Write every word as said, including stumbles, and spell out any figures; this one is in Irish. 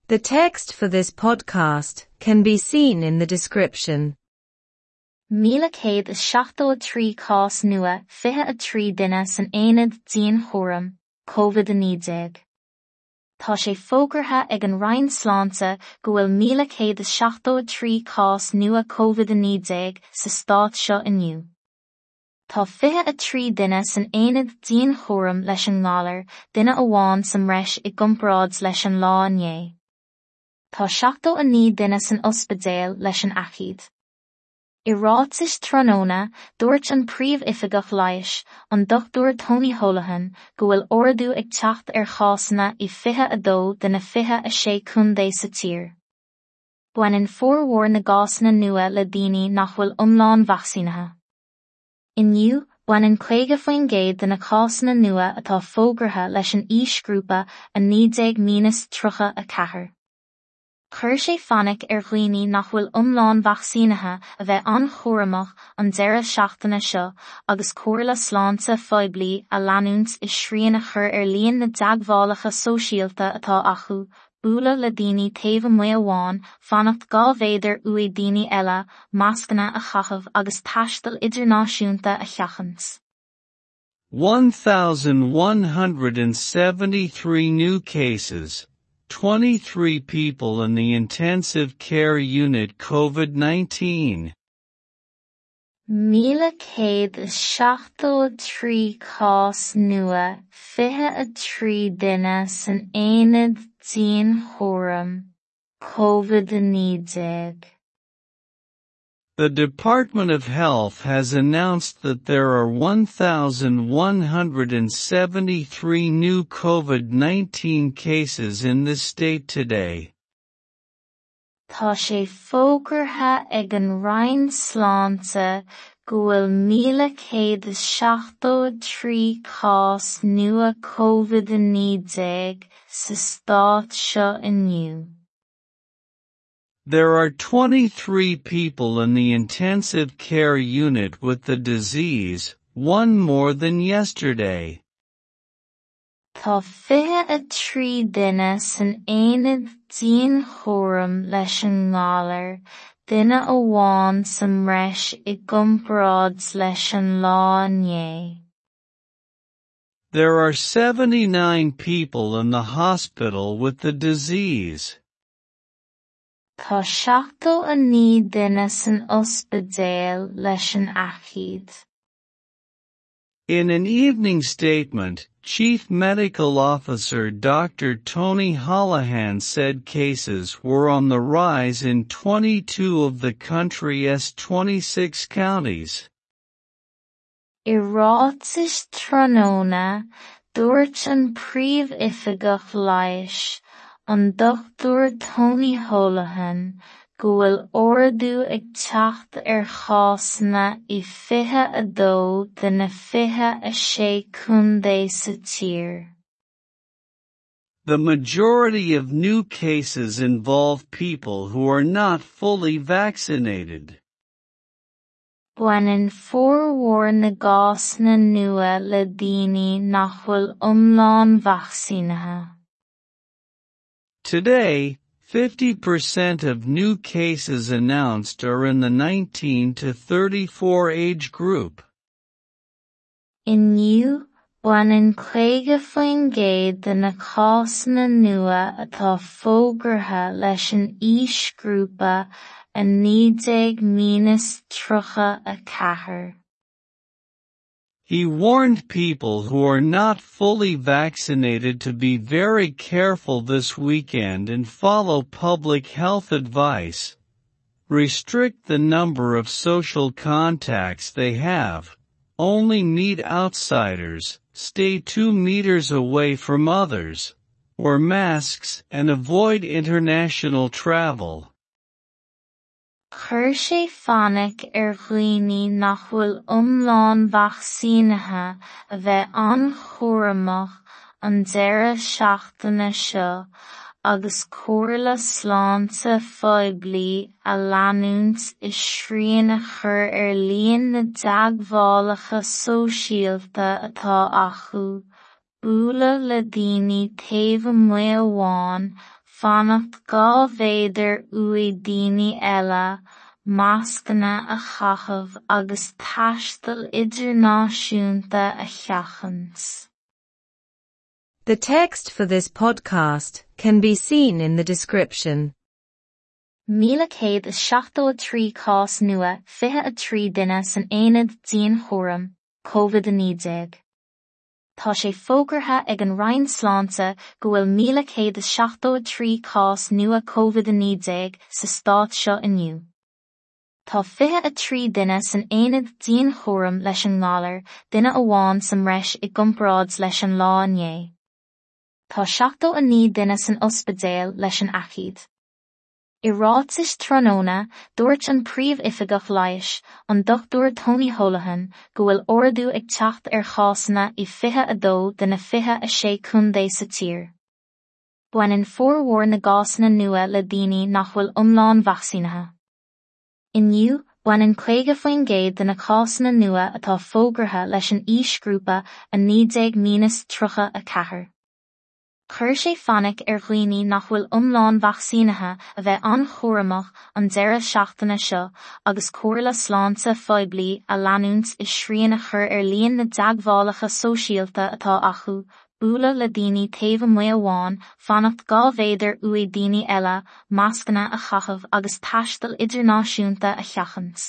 The text for this podcast can be seen in the description. Míle céad is seachtó a trí cás nua fiche a trí duine san aonad dianchúraim, Covid a naoi déag. Tá sé fógartha ag an Roinn Sláinte go bhfuil míle céad is seachtó a trí cás nua Covid a naoi déag sa stát seo inniu. Tá fiche a trí duine san aonad dianchúraim leis an ngalar, duine amháin sa mbreis i gcomparáid leis an lá inné. Tá seachtó a naoi duine san ospidéal leis an aicíd. I ráiteas tráthnóna, dúirt an príomhoifigeach leighis, an Dochtúir Tony Holohan, go bhfuil ardú ag teacht ar chásanna i fiche a dó de na fiche a sé contae sa tír. Baineann formhór na gcásanna nua le daoine nach bhfuil iomlán vacsaínithe. Inniu, baineann caoga faoin gcéad de na cásanna nua atá fógartha leis an aoisghrúpa a naoi déag míneas tríocha a ceathair. Chuir sé fainic ar dhaoine nach bhfuil iomlán vacsaínithe a bheith an-chúramach an deireadh seachtaine seo agus comhairle sláinte phoiblí a leanúint i srian a chur ar líon na dteagmhálacha sóisialta atá acu, bualadh le daoine taobh amuigh amháin, fanacht dhá mhéadar uaidh daoine eile, mascanna a chaitheamh agus taisteal idirnáisiúnta a sheachaint. one thousand one hundred and seventy-three new cases, twenty-three people in the intensive care unit COVID nineteen. Míle céad is seachtó a trí cás nua fiche a trí duine san aonad dianchúraim, Covid a naoi déag. The Department of Health has announced that there are one thousand one hundred and seventy-three new COVID nineteen cases in the state today. Tá sé fógartha ag an Roinn Sláinte go bhfuil míle céad is seachtó a trí cás nua Covid a naoi déag sa stát seo inniu. There are twenty-three people in the intensive care unit with the disease, one more than yesterday. Tá fiche a trí duine san aonad dianchúraim leis an ngalar, duine amháin sa mbreis i gcomparáid leis an lá inné. There are seventy-nine people in the hospital with the disease. Tá seachtó a naoi duine san ospidéal leis an aicíd. In an evening statement, Chief Medical Officer Doctor Tony Holohan said cases were on the rise in twenty-two of the country's twenty-six counties. I ráiteas tráthnóna, dúirt an príomhoifigeach leighis, an Dochtúir Tony Holohan, go bhfuil ardú ag teacht ar chásanna i fiche a dó de na fiche a sé contae sa tír. The majority of new cases involve people who are not fully vaccinated. Baineann formhór na gcásanna nua le daoine nach bhfuil iomlán vacsaínithe. Today, fifty percent of new cases announced are in the nineteen to thirty-four age group. Inniu, baineann caoga faoin gcéad de na cásanna nua atá fógartha leis an aoisghrúpa a naoi déag míneas tríocha a ceathair. He warned people who are not fully vaccinated to be very careful this weekend and follow public health advice. Restrict the number of social contacts they have. Only meet outsiders, stay two meters away from others, wear masks and avoid international travel. Chuir sé fainic ar dhaoine nach bhfuil iomlán vacsaínithe a bheith an-chúramach an deireadh seachtaine seo agus comhairle sláinte phoiblí a leanúint i srian a chur ar líon na dteagmhálacha sóisialta atá acu, bualadh le daoine taobh amuigh amháin, fanacht dhá mhéadar uaidh daoine eile, mascanna a chaitheamh agus taisteal idirnáisiúnta a sheachaint. The text for this podcast can be seen in the description. Míle céad is seachtó a trí cás nua fiche a trí duine san aonad dianchúraim, COVID a naoi déag. Tá sé fógartha ag an Roinn Sláinte go bhfuil míle céad is seachtó a trí cás nua COVID a naoi déag sa stát seo inniu. Tá fiche a trí duine san aonad dianchúraim leis an ngalar, duine amháin sa mbreis i gcomparáid leis an lá inné. Tá seachtó a naoi duine san ospidéal leis an aicíd. I ráitis tráthnóna, dúirt an príomhoifigeach leighis, an Dochtúir Tony Holohan, go bhfuil ardú ag teacht ar chásanna i fiche a dó de na fiche a sé contae sa tír. Baineann formhór na gcásanna nua le daoine nach bhfuil iomlán vacsaínithe. Inniu, baineann caoga faoin gcéad de na cásanna nua atá fógartha leis an aoisghrúpa a naoi déag míneas tríocha a ceathair. Chuir sé fainic ar dhaoine nach bhfuil iomlán vacsaínithe a bheith an-chúramach an deireadh seachtaine seo agus comhairle sláinte phoiblí a leanúint i srian a chur ar líon na dteagmhálacha sóisialta atá acu, bualadh le daoine taobh amuigh amháin, fanacht dhá mhéadar uaidh daoine eile, mascanna a chaitheamh agus taisteal idirnáisiúnta a sheachaint.